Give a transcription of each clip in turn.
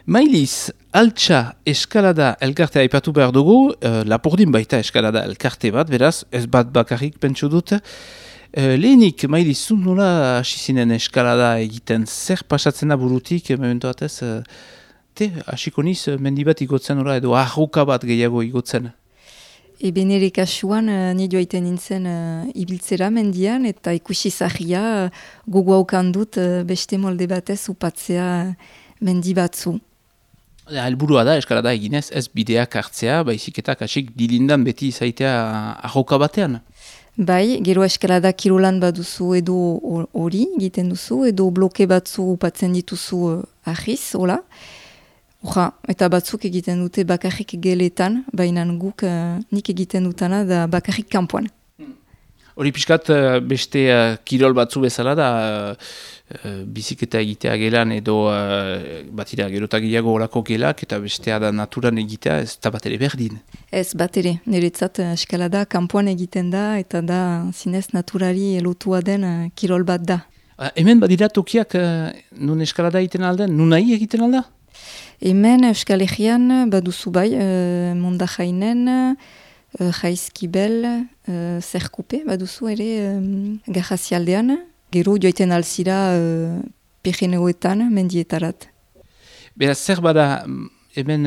Mailiz, altxa eskalada elkartea aipatu behar dugu, Lapurdin baita eskalada elkarte bat, beraz, ez bat bakarrik pentsu dut. Lehenik, Mailiz, zun nola hasi zinen eskalada egiten, zer pasatzen da burutik, memento batez, hasiko niz, mendi bat igotzen nola, edo arruka bat gehiago igotzen. Eben ere kasuan, nire joaiten nintzen ibiltzera mendian, eta ikusi zahia gogo haukan dut beste molde batez upatzea mendi batzu. Helburua da, eskalada eginez, ez bideak hartzea, baizik eta kasik dilindan beti izaitea arroka batean. Bai, gero eskalada kirolan baduzu edo hori egiten duzu, edo bloke batzu upatzen dituzu ahiz, hola. Eta batzuk egiten dute bakarrik geletan, baina guk nik egiten dutana da bakarrik kanpoan. Hori pixkat beste kirol batzu bezala da, biziketa egitea gelan edo batira gerotagiago horako gelak eta bestea da naturan egitea ez da bat ere berdin. Ez bat ere, niretzat eskalada kanpoan egiten da eta da zinez naturari lotua den kirol bat da. Hemen badira tokiak nun eskalada egiten alden, nun nahi egiten alda? Hemen Euskal Herrian baduzu bai, Mondajainen, Jaizkibel, Zerkupe baduzu ere Garrazialdean. Gero joiten alzira Pirineoetan mendietarat. Beraz, zer bada, hemen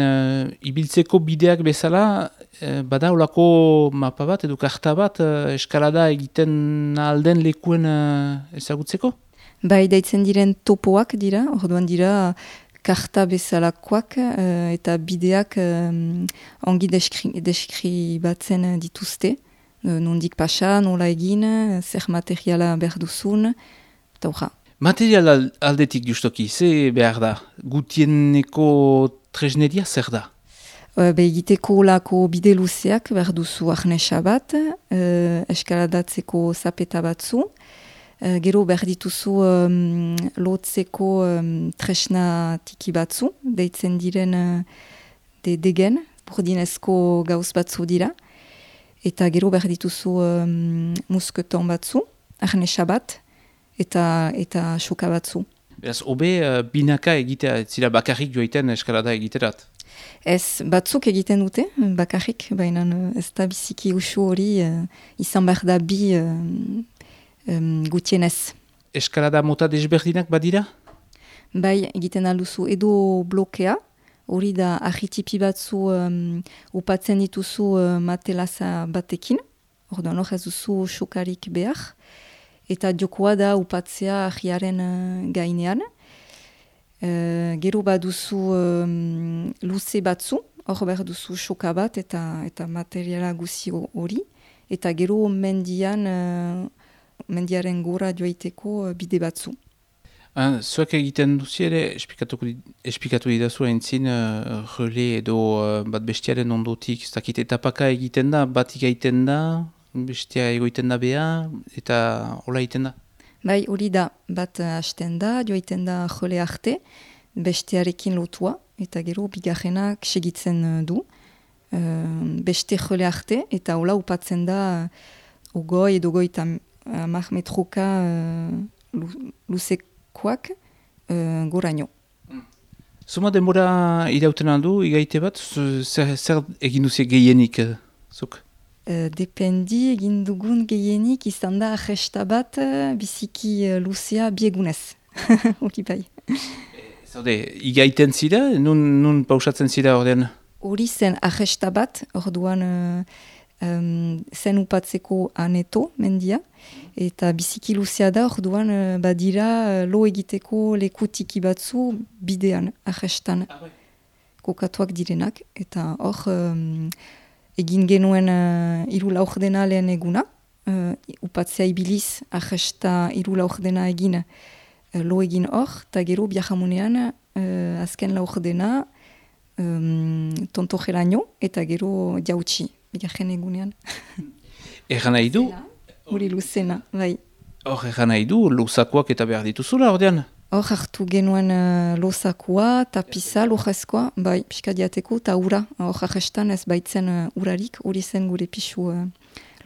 ibiltzeko bideak bezala, bada olako mapa bat edo karta bat eskalada egiten alden lekuen ezagutzeko? Bai, daitzen diren topoak dira, orduan dira karta bezalakoak eta bideak ongi deskribatzen dituzte. Nondik pasa, nola egin, zer materiala behar duzun, eta hoja. Material aldetik justoki, ze behar da? Gutieneko tresneria zer da? Egiteko lako bide luzeak behar duzu arnesa bat, eskaladatzeko zapeta batzu, gero behar dituzu lotzeko tresna tiki batzu, deitzen diren degen, burdinezko gauz batzu dira, eta gero behar dituzu musketon batzu, arnesa bat, eta soka batzu. Beraz, hobe binaka egitea, ez zira bakarrik joiten eskalada egiterat? Ez, batzuk egiten dute, bakarrik, baina ez da biziki usu hori izan behar da bi gutienez. Eskalada mota desberdinak badira? Bai, egiten alduzu edo blokea, hori da ahitipi batzu upatzen dituzu matelaza batekin, orduan hor ez duzu sokarik behar, eta jokoa da upatzea ahiaren gainean. Gero baduzu luze batzu, hor behar duzu soka bat eta materiala guzi hori, eta gero mendiaren gora joaiteko bide batzu. Zuek egiten duzi ere, esplikatu didazu haintzin, rele edo bat bestiaren ondotik, ez dakit etapaka egiten da, batik egiten da, bestia egoiten da beha, eta hola egiten da? Bai, hori da, bat hasten da, joaiten da jole arte, bestearekin lotua, eta gero bigarrenak segitzen du. Beste jole arte, eta hola upatzen da ogoi edo goi eta 10 metroka luzekoak goraino. Zuma denbora irauten aldu, igaite bat, zer egin duziek gehienik, zuk? Dependi egin dugun gehienik izan da ahesta bat biziki luzea biegunez. Hori bai. Zaude, igaiten zira, nun pausatzen zira ordean? Hori zen ahesta bat, orduan zen upatzeko aneto mendia, eta biziki luzea da, orduan badira lo egiteko leku tiki batzu bidean, ahestan. Kokatuak direnak, eta hor egin genuen 3 laurdena lehen eguna, upatzea ibiliz ahesta 3 laurdena egin lo egin hor, eta gero biajamunean azken laurdena tontojeraino, eta gero jautsi. Bigarren egunean. Egan nahi du? Hori luzena, bai. Hor, egan nahi du, luzakoak eta behar dituzula, ordean? Hor hartu genuen lozakoa, tapiza, lojezkoa, bai, pixka diateko, eta ura. Hor ahestan ez baitzen urarik, hori zen gure pixu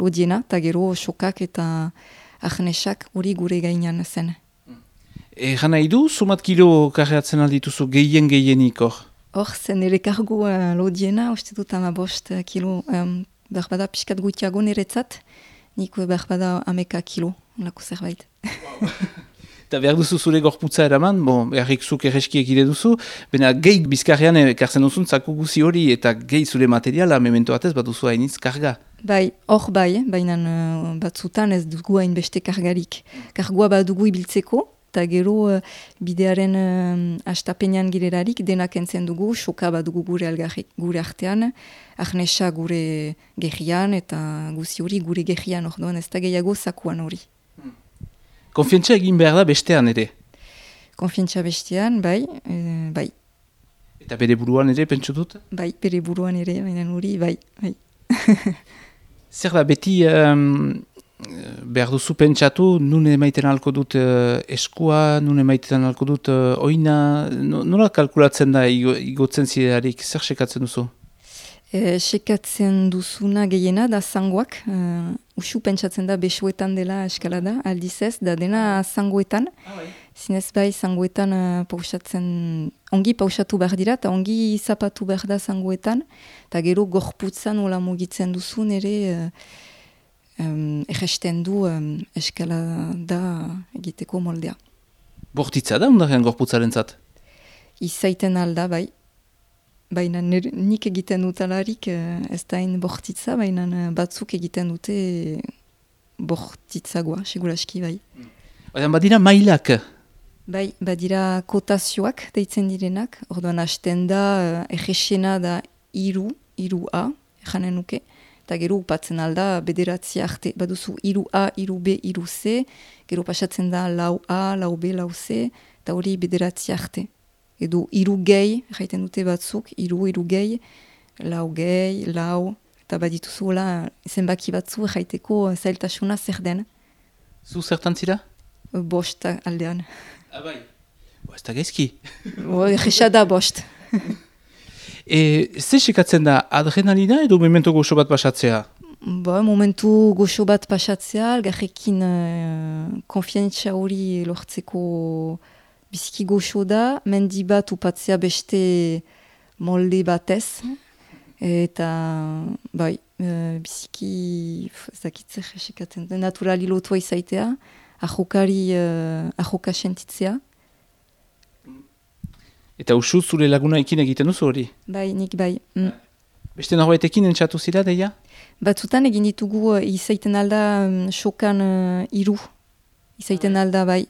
lodiena, eta gero sokak eta ahnesak hori gure gainean zen. Egan nahi du, sumat kilo karreatzen aldituzu gehienik hor? Hor, zen ere kargu lodiena, uste dut 15 kilo, berbada pixkat gutiago niretzat, nik berbada 11 kilo, lako zerbait. Eta behar duzu zure gorputza eraman, beharrik zuk erreski egide duzu, baina gehi bizkarrean ekartzen duzun zaku guzi hori eta gehi zure materiala memento batez bat duzu hainitz karga. Bai, hor bai, baina batzutan ez dugu hainbeste kargarik. Kargua bat dugu ibiltzeko, eta gero bidearen astapenean girerarik denak entzen dugu, soka bat dugu gure artean, arnesa gure gehian eta guzi hori gure gehian orduan ez da gehiago zakuan hori. Konfiantza egin behar da bestean ere? Konfiantza bestean, bai. Eta bere buruan ere, pentsu dut? Bai, bere buruan ere, baina hori, bai. Zer da, beti behar duzu pentsatu, nun emaiten alko dut eskua, nun emaiten alko dut oina, nola kalkulatzen da igotzen zidearik, zer sekatzen duzu? Sekatzen duzuna gehiena da zangoak, usu pentsatzen da besoetan dela eskalada, aldiz ez, da dena zangoetan, zinez bai zangoetan ongi pausatu behar dira, eta ongi zapatu behar da zangoetan, eta gero gorputzan nola mugitzen duzun ere erresten du eskalada egiteko moldea. Bortitza da ondaren gorputzaren zat? Izaiten alda, bai. Baina nik egiten dutalarik ez da hain bortitza, baina batzuk egiten dute bortitzagoa, seguraski bai. Badira mailak? Bai, badira kotazioak deitzen direnak, orduan hasten da errexena da 3A, janen nuke, eta gero upatzen alda bederatzi arte, baduzu 3A, 3B, 3C, gero pasatzen da 4A, 4B, 4C, eta hori bederatzi arte. Edo 3 gehi, jaiten dute batzuk, 3 gehi, 4 gehi, 4, eta badituzu zenbaki batzu jaiteko zailtasuna zer den. Zu zertan zira? 5 aldean. Bai, ez da gezki. Erresa da 5. Ze sekatzen da, adrenalina edo momentu goxo bat pasatzea? Momentu goxo bat pasatzea, algarrekin konfiantza hori lortzeko biziki goxo da, mendi bat upatzea beste molde batez, eta bai, biziki zakitzer esikatzen, naturali lotua izaitea, ahoka sentitzea. Eta usu zure laguna ekin egiten duzu hori? Bai, nik bai. Beste norbaitekin entzatu zira, deia? Batzutan egin ditugu izaiten alda sokan 3, izaiten alda bai.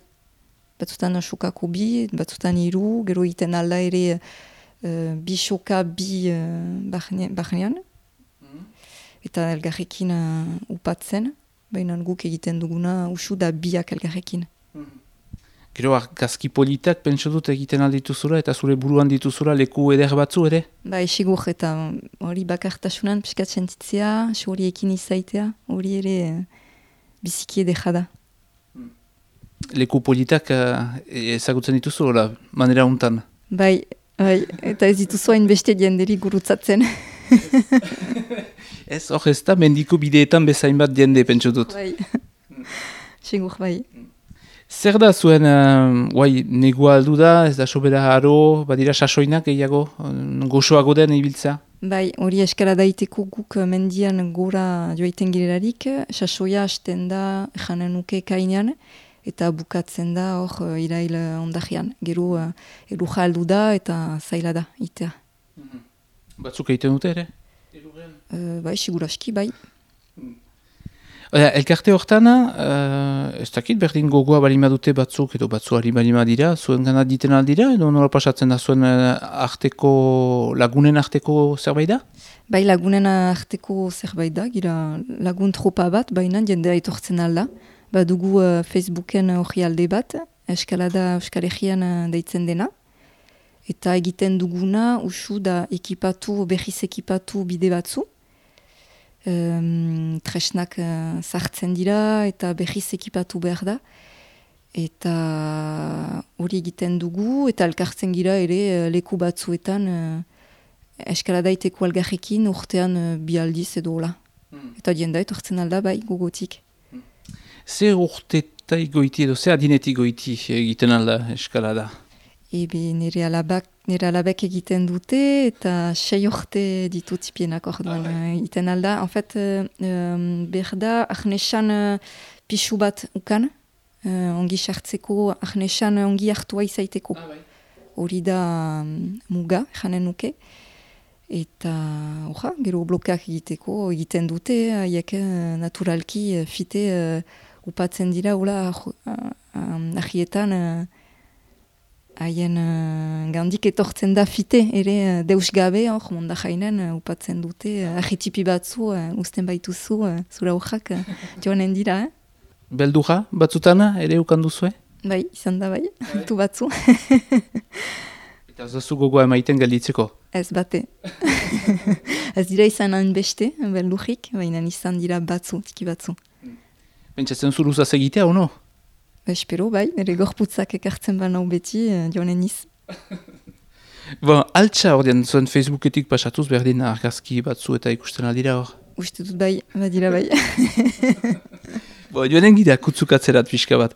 Batzutan sokako 2, batzutan 3, gero iten alda ere bi soka bi bahnean. Eta elgarrekin upatzen, baina guk egiten duguna usu da biak elgarrekin. Gero argazki politak pentsu dut egiten aldituzura eta zure buruan dituzura leku eder batzu ere? Bai, sigur eta hori bakartasunan piskat sentitzea, hori ekin izaitea, hori ere biziki edera da. Leku politak ezagutzen dituzu, manera untan? Bai, eta ez dituzu hain beste dienderi gurutzatzen. Ez, hor ez da, mendiko bideetan bezain bat diende, pentsu dut. Bai, sigur bai. Zer da zuen, negua aldu da, ez da sobera haro, badira sasoinak gehiago, goxoago den ibiltza? Bai, hori eskalada iteko guk mendian gora joaiten girelarik, sasoia hasten da janen nuke kainean, eta bukatzen da hor irail ondajean. Gero eruja aldu da eta zaila da itea. Batzuk egiten dute ere? Bai, siguraski, bai. Elkarte hortan, ez dakit berdin gogoa balima dute batzuk edo batzuari balima dira, zuen gana diten aldira, edo nola pasatzen da zuen lagunen arteko zerbait da? Bai, lagunen arteko zerbait da, gira lagun tropa bat, baina jendea etortzen alda. Badugu Facebooken hori alde bat, eskalada Euskal Herrian deitzen dena. Eta egiten duguna, usu da berriz ekipatu bide batzu. Tresnak sartzen dira eta berriz ekipatu behar da. Eta hori egiten dugu eta elkartzen gira ere leku batzuetan eskalada iteko algarrekin urtean 2 aldiz edo hola. Eta jendea etortzen alda bai gogotik. Zer urte urtai goiti edo, ze adinetik goiti egiten alda eskalada? Nire alabek egiten dute eta 6 urte ditut tipienak orduan egiten alda. En fait, berda ahnesan pixu bat ukan, ongi sartzeko, ahnesan ongi hartua izaiteko. Hori da muga, janen nuke. Eta, gero blokeak egiten dute, haiek naturalki fite upatzen dira, ahietan haien gandik etortzen da fite, ere deus gabe, monda jainen upatzen dute, ahitipi batzu, usten baituzu, zura hojak joanen dira. Beldura batzutana ere ukanduzue? Bai, izan da bai, tu batzu. Eta ez dazu gogoa emaiten galditzeko? Ez bate. Ez dira izan hainbeste, beldurik, baina izan dira batzu, tiki batzu. Pentsatzen zuruzaz egitea, ono? Espero, bai, nire gorputzak ekartzen banau beti, joanen iz. Altsa ordean zuen Facebooketik pasatuz berdin argazki batzu eta ikusten aldira hor? Uste dut bai, badira bai. Joanen gira kutzukatzerat pixka bat.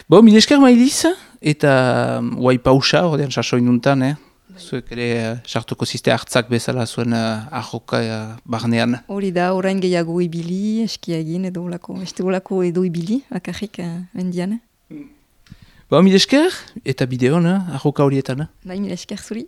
Mil esker Mailiz, eta guai pausa ordean sasoin nuntan, zuek ere sartuko ziste hartzak bezala zuen ahoka barnean. Hori da, orain gehiago ibili, eskiagin edo olako edo ibili, bakarrik mendian. Mil esker, eta bideon, ahoka horietan. Bai, mil esker zuri.